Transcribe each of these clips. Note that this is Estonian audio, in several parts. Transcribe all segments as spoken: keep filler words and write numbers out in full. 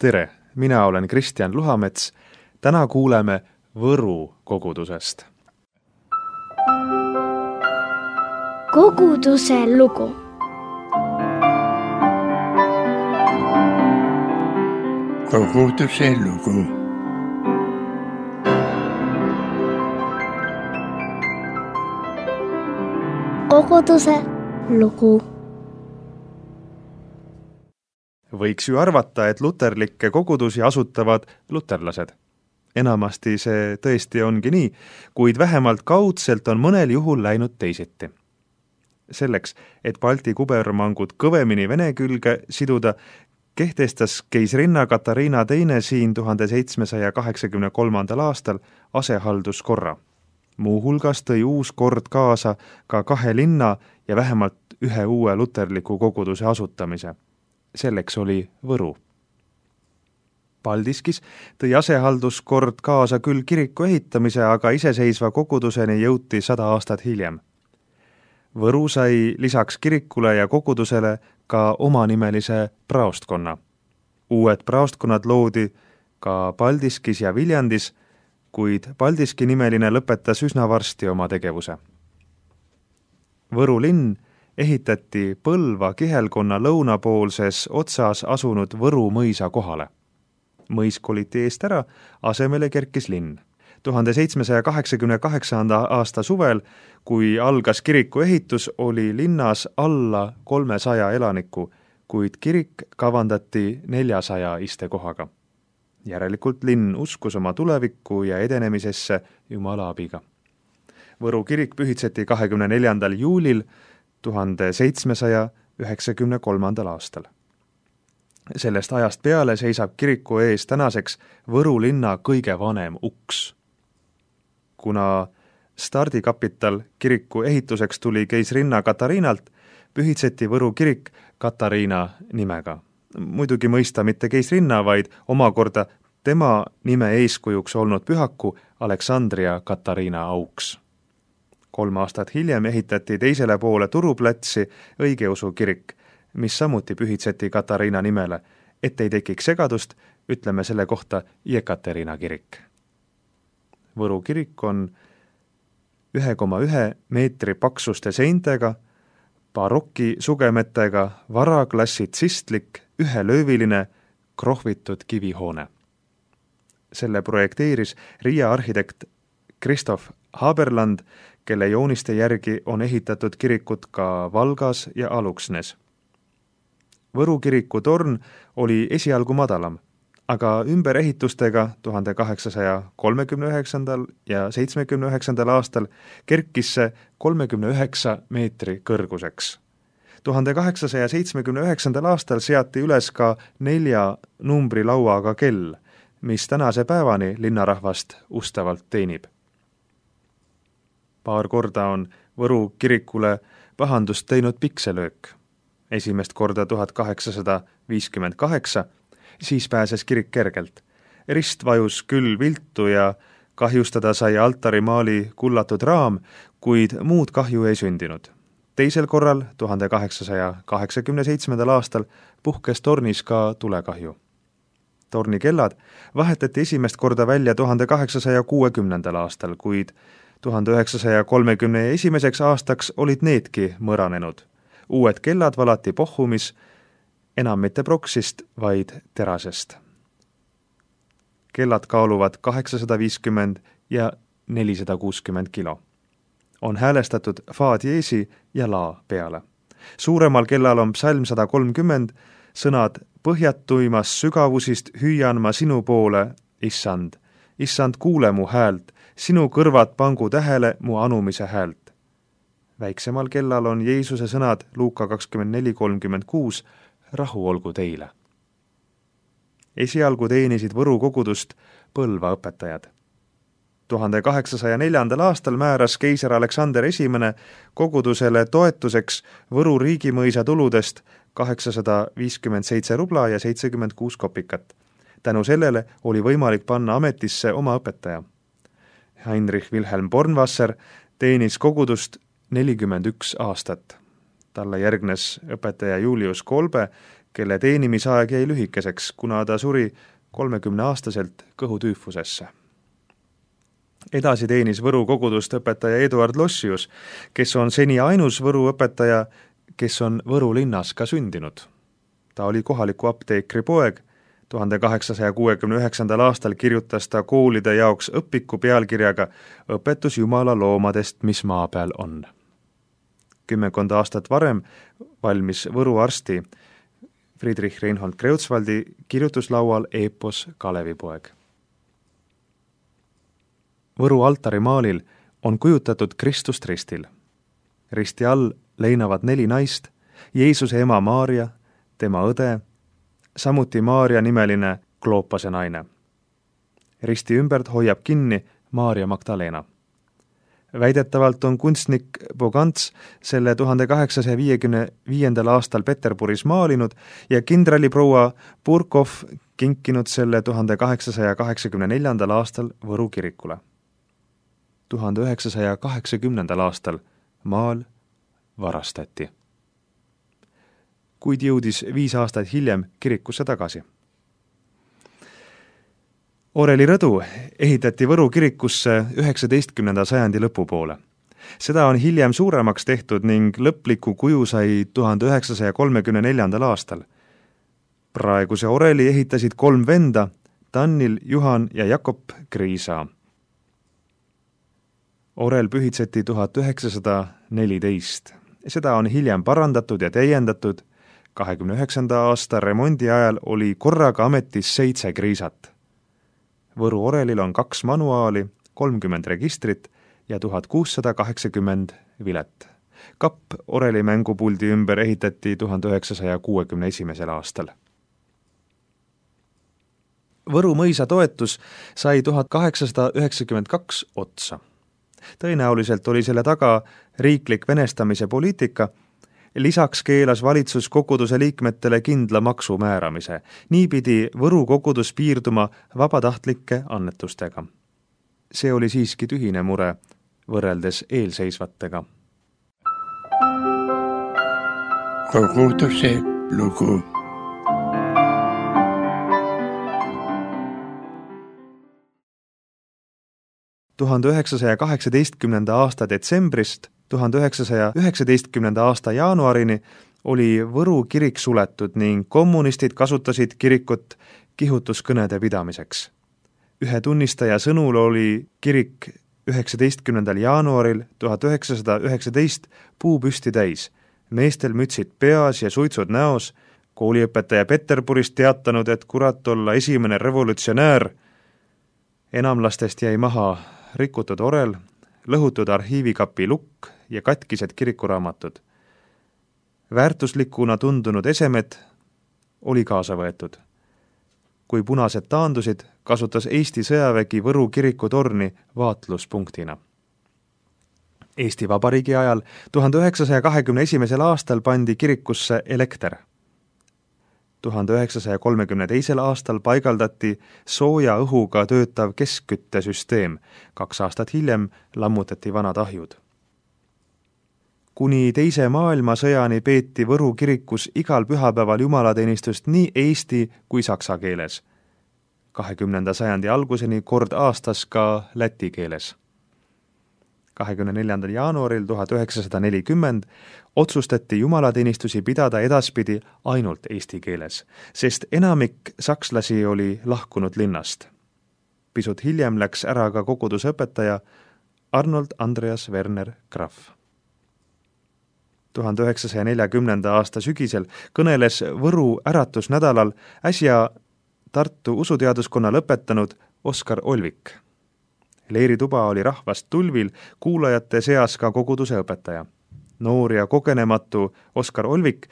Tere, mina olen Kristjan Luhamets. Täna kuuleme Võru kogudusest. Koguduse lugu. Koguduse lugu. Koguduse lugu. Võiks ju arvata, et luterlikke kogudusi asutavad luterlased. Enamasti see tõesti ongi nii, kuid vähemalt kaudselt on mõnel juhul läinud teisiti. Selleks, et Balti kubermangud kõvemini Vene külge siduda, kehtestas keisrinna Katariina teine siin tuhande seitsmesaja kaheksakümne kolmandal aastal asehalduskorra. Muuhulgas tõi uus kord kaasa ka kahe linna ja vähemalt ühe uue luterliku koguduse asutamise. Selleks oli Võru. Paldiskis tõi asehalduskord kaasa küll kiriku ehitamise, aga iseseisva koguduseni jõuti sada aastat hiljem. Võru sai lisaks kirikule ja kogudusele ka omanimelise praostkonna. Uued praostkonnad loodi ka Paldiskis ja Viljandis, kuid Paldiski nimeline lõpetas üsna varsti oma tegevuse. Võru linn ehitati Põlva kihelkonna lõunapoolses otsas asunud Võru mõisa kohale. Mõis koliti eest ära, asemele kerkis linn. tuhande seitsmesaja kaheksakümne kaheksanda aasta suvel, kui algas kiriku ehitus, oli linnas alla kolmesaja elaniku, kuid kirik kavandati neljasaja istekohaga. Järelikult linn uskus oma tulevikku ja edenemisesse Jumala abiga. Võru kirik pühitseti kahekümne neljandal juulil tuhande seitsmesaja üheksakümne kolmandal aastal. Sellest ajast peale seisab kiriku ees tänaseks Võru linna kõige vanem uks. Kuna stardikapital kiriku ehituseks tuli keisrinna Katariinalt, pühitseti Võru kirik Katariina nimega. Muidugi mõista mitte keisrinna, vaid omakorda tema nime eeskujuks olnud pühaku Aleksandria Katariina auks. Kolm aastat hiljem ehitati teisele poole Turuplatsi õigeusu kirik, mis samuti pühitseti Katariina nimele. Et ei tekiks segadust, ütleme selle kohta Jekaterina kirik. Võru kirik on ühe koma ühe meetri paksuste seintega, baroki sugemetega, varaklassitsistlik, ühelööviline, krohvitud kivihoone. Selle projekteeris Riia arhitekt Kristof Haberland, kelle jooniste järgi on ehitatud kirikut ka Valgas ja Aluksnes. Võru kiriku torn oli esialgu madalam, aga ümberehitustega tuhande kaheksasaja kolmekümne üheksandal ja seitsmekümne üheksandal aastal kerkis see kolmekümne üheksa meetri kõrguseks. tuhande kaheksasaja seitsmekümne üheksandal aastal seati üles ka nelja numbri lauaga kell, mis tänase päevani linnarahvast ustavalt teenib. Paar korda on Võru kirikule pahandust teinud pikselöök. Esimest korda tuhat kaheksasada viiskümmend kaheksa, siis pääses kirik kergelt. Rist vajus küll viltu ja kahjustada sai altarimaali kullatud raam, kuid muud kahju ei sündinud. Teisel korral, tuhande kaheksasaja kaheksakümne seitsmendal aastal, puhkes tornis ka tulekahju. Torni kellad vahetati esimest korda välja tuhande kaheksasaja kuuekümnendal aastal, kuid tuhande üheksasaja kolmekümne esimeseks aastaks olid needki mõranenud. Uued kellad valati Pohhumis, enam mitte proksist, vaid terasest. Kellad kaaluvad kaheksasada viiskümmend ja nelisada kuuskümmend kilo. On häälestatud fa diesi ja la peale. Suuremal kellal on psalm sada kolmkümmend, sõnad põhjatuimas sügavusist hüüan ma sinu poole, issand. Issand, kuule mu häält, sinu kõrvad pangu tähele mu anumise häält. Väiksemal kellal on Jeesuse sõnad Luuka kakskümmend neli kolmkümmend kuus, rahu olgu teile. Esialgu teenisid Võru kogudust Põlva õpetajad. tuhande kaheksasaja neljandal aastal määras keiser Aleksander esimene kogudusele toetuseks Võru riigimõisa tuludest kaheksasada viiskümmend seitse rubla ja seitsekümmend kuus kopikat. Tänu sellele oli võimalik panna ametisse oma õpetaja. Heinrich Wilhelm Bornwasser teenis kogudust nelikümmend üks aastat. Talle järgnes õpetaja Julius Kolbe, kelle teenimisaeg jäi lühikeseks, kuna ta suri kolmekümneaastaselt kõhutüüfusesse. Edasi teenis Võru kogudust õpetaja Eduard Lossius, kes on seni ainus Võru õpetaja, kes on Võru linnas ka sündinud. Ta oli kohaliku apteekri poeg. tuhande kaheksasaja kuuekümne üheksandal aastal kirjutas ta koolide jaoks õpiku pealkirjaga Õpetus Jumala loomadest, mis maa peal on. Kümmekond aastat varem valmis Võru arsti Friedrich Reinhold Kreutzwaldi kirjutuslaual eepos Kalevipoeg. Võru altarimaalil on kujutatud Kristust ristil. Risti all leinavad neli naist, Jeesuse ema Maaria, tema õde, samuti Maaria nimeline Kloopase naine. Risti ümbert hoiab kinni Maaria Magdalena. Väidetavalt on kunstnik Bogants selle tuhande kaheksasaja viiekümne viiendal aastal Peterburis maalinud ja kindraliproua Burkov kinkinud selle tuhande kaheksasaja kaheksakümne neljandal aastal Võru kirikule. tuhande üheksasaja kaheksakümnendal aastal maal varastati, kuid jõudis viis aastat hiljem kirikusse tagasi. Oreli rõdu ehitati Võru kirikusse üheksateistkümnenda sajandi lõpupoole. Seda on hiljem suuremaks tehtud ning lõpliku kuju sai tuhande üheksasaja kolmekümne neljandal aastal. Praeguse oreli ehitasid kolm venda, Tannil, Juhan ja Jakob Kriisa. Orel pühitseti tuhat üheksasada neliteist. Seda on hiljem parandatud ja täiendatud. kahekümne üheksanda aasta remondi ajal oli korraga ametis seitse kriisat. Võru orelil on kaks manuaali, kolmkümmend registrit ja tuhat kuussada kaheksakümmend vilet. Kapp oreli mängupuldi ümber ehitati tuhande üheksasaja kuuekümne esimesel aastal. Võru mõisa toetus sai tuhat kaheksasada üheksakümmend kaks otsa. Tõenäoliselt oli selle taga riiklik venestamise poliitika. Lisaks keelas valitsus koguduse liikmetele kindla maksu määramise. Nii pidi Võru kogudus piirduma vabatahtlike annetustega. See oli siiski tühine mure võrreldes eelseisvatega. Koguduse lugu. tuhande üheksasaja kaheksateistkümnenda aasta detsembrist tuhande üheksasaja üheksateistkümnenda aasta jaanuarini oli Võru kirik suletud ning kommunistid kasutasid kirikut kihutuskõnede pidamiseks. Ühe tunnistaja sõnul oli kirik üheksateistkümnendal jaanuaril tuhat üheksasada üheksateist puupüsti täis, meestel mütsid peas ja suitsud näos, kooliõpetaja Peterburist teatanud, et kurat olla esimene revolutsionäär. Enamlastest jäi maha rikutud orel, lõhutud arhiivikapi lukk ja katkised kirikuraamatud. Väärtuslikuna tundunud esemed oli kaasa võetud. Kui punased taandusid, kasutas Eesti sõjavägi Võru kiriku torni vaatluspunktina. Eesti Vabariigi ajal tuhande üheksasaja kahekümne esimesel aastal pandi kirikusse elekter. tuhande üheksasaja kolmekümne teisel aastal paigaldati sooja õhuga töötav keskküttesüsteem. Kaks aastat hiljem lammutati vanad ahjud. Kuni teise maailmasõjani peeti Võru kirikus igal pühapäeval jumalateenistust nii eesti kui saksa keeles. kahekümnenda sajandi alguseni kord aastas ka läti keeles. kahekümne neljandal jaanuaril tuhat üheksasada nelikümmend otsustati jumalateenistusi pidada edaspidi ainult eesti keeles, sest enamik sakslasi oli lahkunud linnast. Pisut hiljem läks ära ka kogudusõpetaja Arnold Andreas Werner Graf. tuhande üheksasaja neljakümnenda aasta sügisel kõneles Võru äratusnädalal äsja Tartu usuteaduskonna lõpetanud Oskar Olvik. Leerituba oli rahvast tulvil, kuulajate seas ka koguduse õpetaja. Noor ja kogenematu Oskar Olvik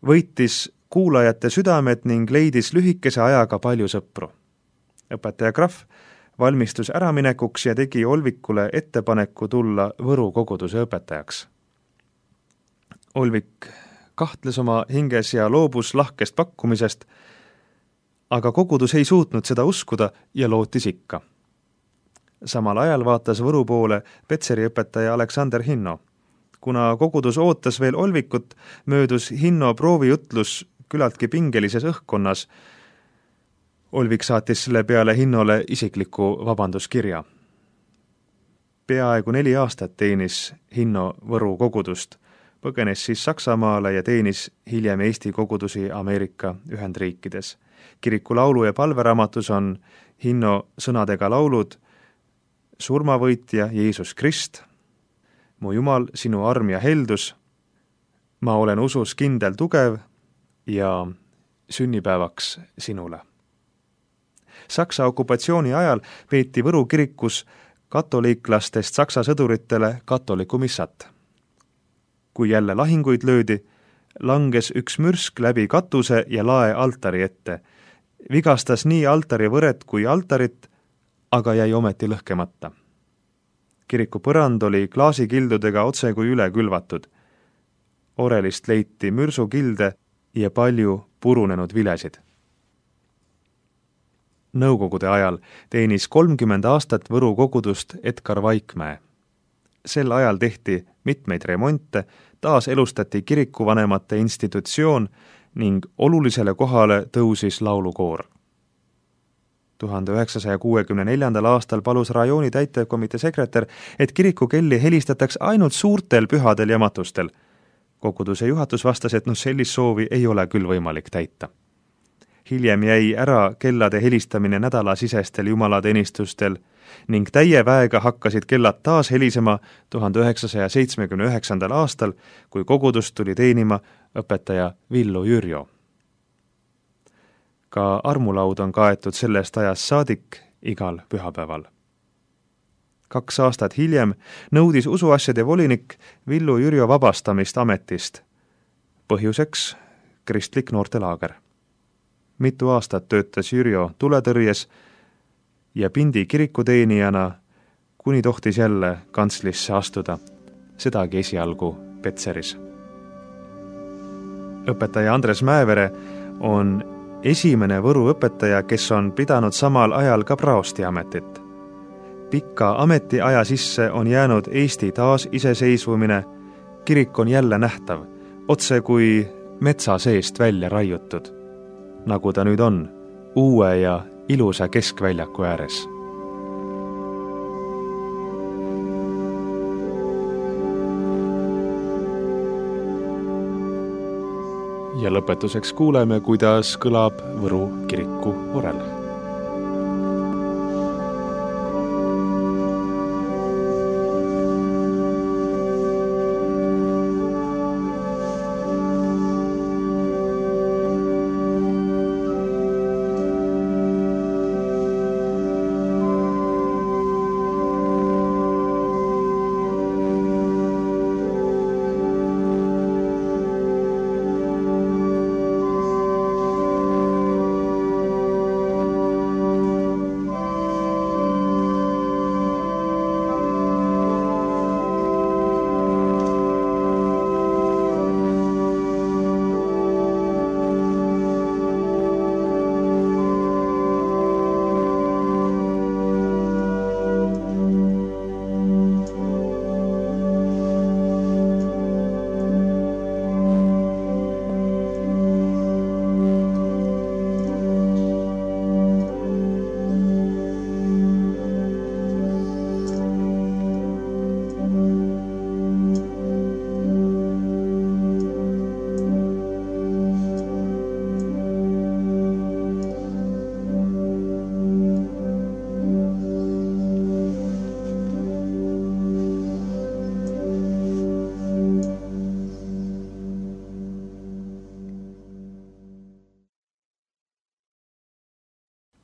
võitis kuulajate südamed ning leidis lühikese ajaga palju sõpru. Õpetaja Graf valmistus äraminekuks ja tegi Olvikule ettepaneku tulla Võru koguduse õpetajaks. Olvik kahtles oma hinges ja loobus lahkest pakkumisest, aga kogudus ei suutnud seda uskuda ja lootis ikka. Samal ajal vaatas Võru poole Petseri õpetaja Aleksander Hinno. Kuna kogudus ootas veel Olvikut, möödus Hinno proovijutlus külaltki pingelises õhkkonnas. Olvik saatis selle peale Hinnole isikliku vabanduskirja. Peaaegu neli aastat teenis Hinno Võru kogudust, põgenes siis Saksamaale ja teenis hiljem Eesti kogudusi Ameerika Ühendriikides. Kiriku laulu- ja palveraamatus on Hinno sõnadega laulud Surmavõitja Jeesus Krist, Mu Jumal, sinu arm ja heldus, Ma olen usus kindel tugev ja Sünnipäevaks sinule. Saksa okupatsiooni ajal peeti Võru kirikus katoliiklastest saksa sõduritele katoliku missat. Kui jälle lahinguid löödi, langes üks mürsk läbi katuse ja lae altari ette. Vigastas nii altari võret kui altarit, aga jäi ometi lõhkemata. Kiriku põrand oli klaasikildudega otse kui üle külvatud. Orelist leiti mürsukilde ja palju purunenud vilesid. Nõukogude ajal teenis kolmkümmend aastat Võru kogudust Edgar Vaikmäe. Sel ajal tehti mitmeid remonte, taas elustati kirikuvanemate institutsioon ning olulisele kohale tõusis laulukoor. tuhande üheksasaja kuuekümne neljandal aastal palus rajooni täitevkomitee sekretär, et kirikukelli helistataks ainult suurtel pühadel ja matustel. Koguduse juhatus vastas, et noh, sellist soovi ei ole küll võimalik täita. Hiljem jäi ära kellade helistamine nädalasisestel jumalateenistustel ning täie väega hakkasid kellad taas helisema tuhande üheksasaja seitsmekümne üheksandal aastal, kui kogudust tuli teenima õpetaja Villu Jürjo. Ka armulaud on kaetud sellest ajast saadik igal pühapäeval. Kaks aastat hiljem nõudis usuasjade volinik Villu Jürjo vabastamist ametist. Põhjuseks kristlik noortelaager. Mitu aastat töötas Jürjo tuletõrjes ja Pindi kirikuteenijana, kuni tohtis jälle kantslisse astuda, sedagi esialgu Petseris. Õpetaja Andres Mäevere on esimene Võru õpetaja, kes on pidanud samal ajal ka praosti ametit. Pikka ametiaja sisse on jäänud Eesti taas iseseisvumine, kirik on jälle nähtav, otse kui metsa seest välja raiutud, nagu ta nüüd on, uue ja ilusa keskväljaku ääres. Ja lõpetuseks kuuleme, kuidas kõlab Võru kiriku orel.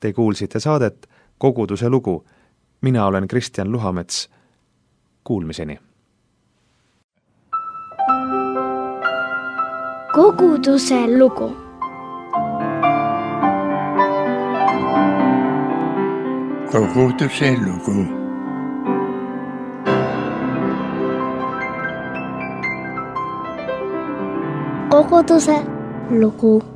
Te kuulsite saadet Koguduse lugu. Mina olen Kristjan Luhamets. Kuulmiseni. Koguduse lugu. Koguduse lugu. Koguduse lugu.